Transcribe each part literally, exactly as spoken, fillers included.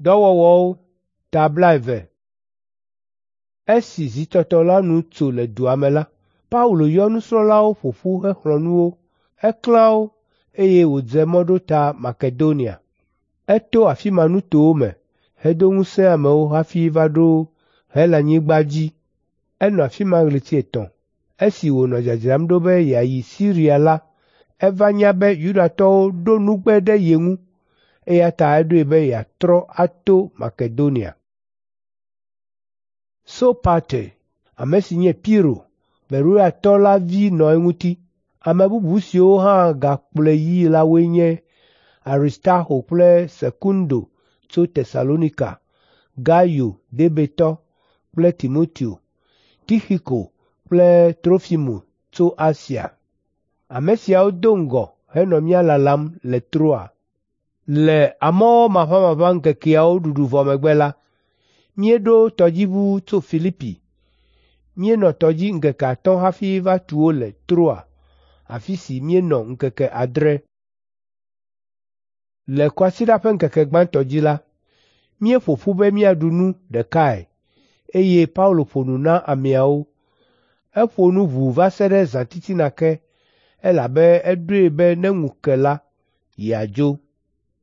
Dɔwɔwɔwo ta blaeve. Esi zitɔtɔ la nu tso le dua me la, Paulo yɔ nusrɔ̃lawo ƒo ƒu hexlɔ̃ nu wo. Eklã wo, eye wòdze mɔ ɖo ta Makedonia. Eto afi ma nutowo me hedo ŋusẽ amewo hafi va ɖo Helanyigba dzi. Enɔ afi ma ɣleti etɔ̃. Esi wònɔ dzadzram ɖo be yeayi Siria la, eva nya be Yudatɔwo ɖo nugbe ɖe ye ŋu, eya ta eɖoe be yeatrɔ ato Makedonia. Sopate, ame si nye Piro, Beroiatɔ la vi nɔ eŋuti. Ame bubu siwo hã gakplɔe yii la woe nye Aristarko kple Sekundo tso Tesalonika, Gayo Derbetɔ kple Timoteo, Tixiko kple Trofimo tso Asia. Ame siawo do ŋgɔ henɔ mía lalam le Troa. Le Amɔwɔ Maʋamaʋã ŋkekeawo ɖuɖu vɔ megbe la, míeɖo tɔdziʋu tso Filipi. Míenɔ tɔdzi ŋkeke atɔ̃ hafi va tu wo le Troa, afi si míenɔ ŋkeke adre. Le kwasiɖa ƒe ŋkeke gbãtɔ dzi la, míeƒo ƒu be míaɖu nu ɖekae, eye Paulo ƒo nu na ameawo. Eƒo nu ʋuu va se ɖe zãtitina ke, elabe eɖoe be ne ŋu ke la, yeadzo.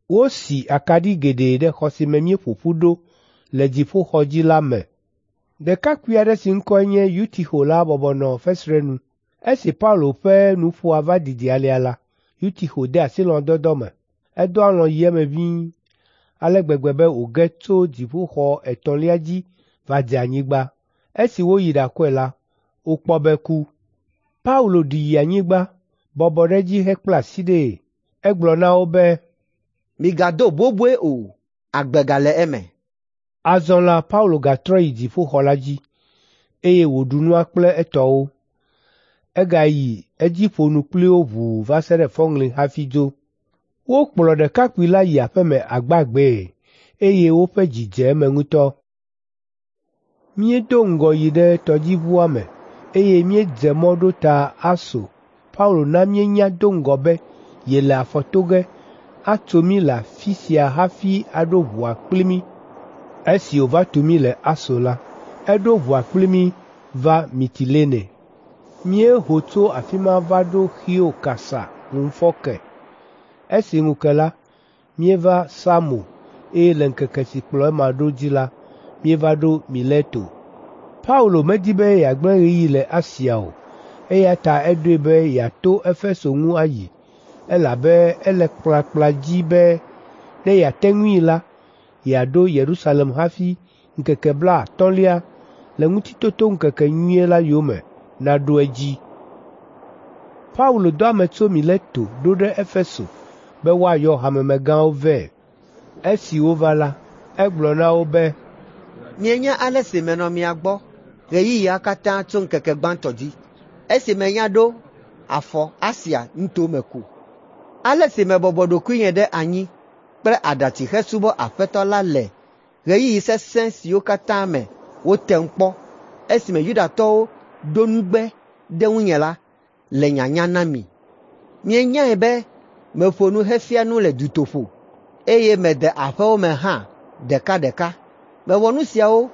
Wosi akaɖi geɖe ɖe xɔ si me míeƒo ƒu ɖo le dziƒoxɔ dzi la me. Ɖekakpui aɖe si ŋkɔe nye Yutixo la bɔbɔ nɔ fesre nu. Esi Paulo ƒe nuƒoa va didi alea la, Yutixo de asi lɔ̃dɔdɔ me. Edɔ alɔ̃ yi eme ʋĩi ale gbegbe be wòge tso dziƒoxɔ etɔ̃lia dzi va dze anyigba. Esi woyi ɖakɔe la, wokpɔ be eku. Paulo ɖi yi anyigba, bɔbɔ ɖe edzi hekpla asi ɖee. Egblɔ na wo be, “Migado boboe o, agbe gale eme.” Azɔ la Paulo gatrɔ yi dziƒoxɔ la dzi, eye wòɖu nua kple etɔwo. Egayi edzi ƒo nu kpli wo ʋuu va se ɖe fɔŋli hafi dzo. Wokplɔ ɖekakpui la yi aƒe me agbagbee, eye woƒe dzi dze eme ŋutɔ. Míedo ŋgɔ yi ɖe tɔdziʋua me, eye míedze mɔ ɖo ta Aso. Paulo na míenya do ŋgɔ be yele afɔ to ge atso mí le afi sia hafi aɖo ʋua kpli mí. Esi wòva tu mí le Aso la, eɖo ʋua kpli mí va Mitilene. Míeho tso afi ma va ɖo Xio kasa ŋufɔke. Esi ŋu ke la, míeva Samo eye le ŋkeke si kplɔ ema ɖo dzi la, míeva ɖo Mileto. Paulo medi be yeagblẽ ɣeyiɣi le Asia o, eya ta eɖoe be yeato Efeso ŋu ayi, elabe ele kplakpla dzi be ne yeate ŋui la, yeaɖo Yerusalem hafi ŋkeke blaatɔ̃lia le Ŋutitotoŋkekenyuie la yome naɖo edzi. Paulo dɔ ame tso Mileto ɖo ɖe Efeso be woayɔ hamemegãwo vɛ. Esi wova la, egblɔ na wo be, “Mienya ale si menɔ mia gbɔ ɣeyiɣia katã tso ŋkeke gbãtɔ dzi, esi menya ɖo afɔ Asia nutome ko. Ale si mebɔbɔ ɖokuinye ɖe anyi kple aɖatsi hesubɔ Aƒetɔ la le ɣeyiɣi sesẽ siwo katã me wotem kpɔ esime Yudatɔwo ɖo nugbe ɖe ŋunye la le nyanya na mi. Mienyae be meƒo nu hefia nu le dutoƒo, eye mede aƒewo me hã ɖekaɖeka. Mewɔ nu siawo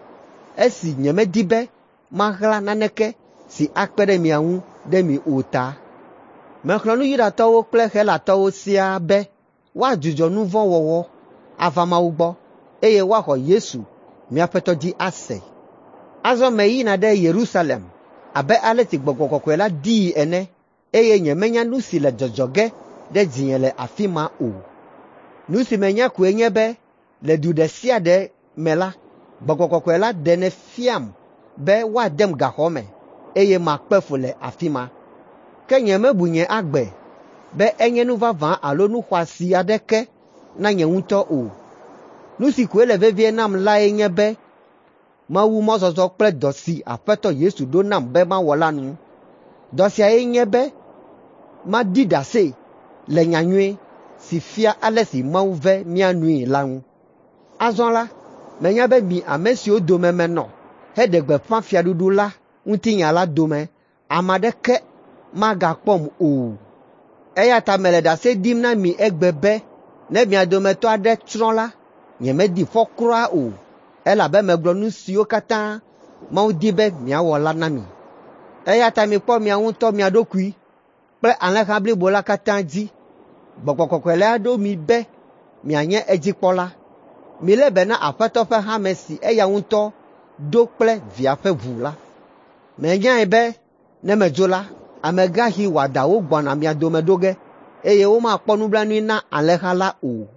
esi nyemedi be maɣla naneke si akpe ɖe mia ŋu ɖe mi o ta. Mexlɔ̃ nu Yudatɔwo kple Helatɔwo siaa be woadzudzɔ nu vɔ̃ wɔwɔ ava Mawu gbɔ, eye woaxɔ Yesu, mía Aƒetɔ dzi ase. Azɔ meyina ɖe Yerusalem abe ale si Gbɔgbɔ Kɔkɔe la dii ene, eye nyemenya nu si le dzɔdzɔ ge ɖe dzinye le afi ma o. Nu si menya koe nye be le du ɖe sia ɖe me la, Gbɔgbɔ Kɔkɔe la ɖenɛ fiam be woadem gaxɔ me, eye makpe fu le afi ma. Ke nyemebu nye agbe be enye nu vavã alo nu xɔasi aɖeke na nye ŋutɔ o. Nu si koe le vevie nam lae nye be mawu mɔzɔzɔ kple dɔ si Aƒetɔ Yesu ɖo nam be mawɔ la nu. Dɔ siae nye be maɖi ɖase le nyanyui si fia ale si Mawu ve mía nui la ŋu. Azɔ la, menya be mi ame siwo dome menɔ heɖe gbeƒã fiaɖuɖu la ŋutinya la dome ame aɖeke magakpɔm o. Eya ta mele ɖase ɖim na mi egbe be ne mia dometɔ aɖe tsrɔ̃ la, Nyemeɖi fɔ kura o, elabe megblɔ nu siwo katã Mawu di be miawɔ la na mi. Eya ta mikpɔ miawo ŋutɔ mia ɖokui kple alẽha blibo la katã dzi. Gbɔgbɔ Kɔkɔe la ɖo mi be mianye edzikpɔla. Milé be na Aƒetɔ ƒe hame si eya ŋutɔ ɖo kple via ƒe ʋu la. Menyae be ne medzo la, amegãxi wɔadãwo gbɔna mia dome ɖo ge, eye womakpɔ nublanui na alẽha la o.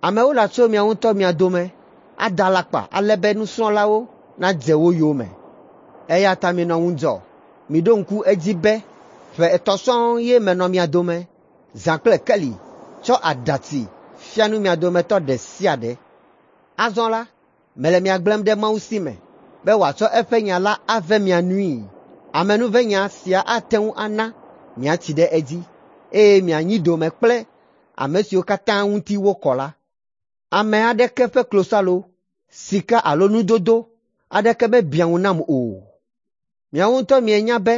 Amewo latso miawo ŋutɔ mia dome ada alakpa ale be nusrɔ̃lawo nadze wo yome. Eya ta minɔ ŋudzɔ, miɖo ŋku edzi be ƒe etɔ̃ sɔŋ ye menɔ mia dome, zã kple keli, tsɔ aɖatsi fia nu mia dometɔ ɖe sia ɖe. Azɔ la, mele mia gblẽm ɖe Mawu si me be wòatsɔ eƒe nya la ave mia nui. Amenuvenya sia ate ŋu ana miatsi ɖe edzi, eye mianyi dome kple ame siwo katã ŋuti wokɔ la. Ame aɖeke ƒe klosalo, sika alo nudodo aɖeke mebiã ŋu nam o. Miawo ŋutɔ mienya be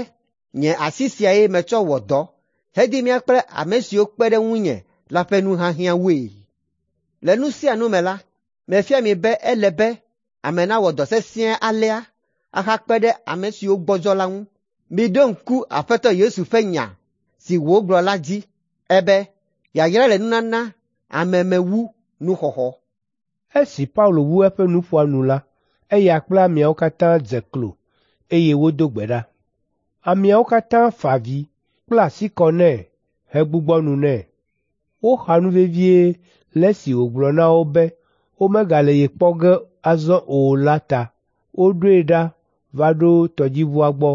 nye asi siae metsɔ wɔ dɔ hedi mía kple ame siwo kpe ɖe ŋunye la ƒe nuhiahiãwoe. Le nu sia nu me la, mefia mi be ele be ame nawɔ dɔ sesĩe alea ahakpe ɖe ame siwo gbɔdzɔ la ŋu. Miɖo ŋku Aƒetɔ Yesu ƒe nya si wògblɔ la dzi ebe, ‘Yayra le nunana ame me wu nuxɔxɔ.’ Esi Paulo wu eƒe nuƒoa nu la, eya kple ameawo katã dze klo, eye wodo gbe ɖa. Ameawo katã fa avi, kpla asi kɔ nɛ hegbugbɔ nu nɛ. Woxa nu vevie le esi wògblɔ na wo be womegale ye kpɔ ge azɔ o la ta. Woɖoe ɖa va ɖo tɔdziʋua gbɔ.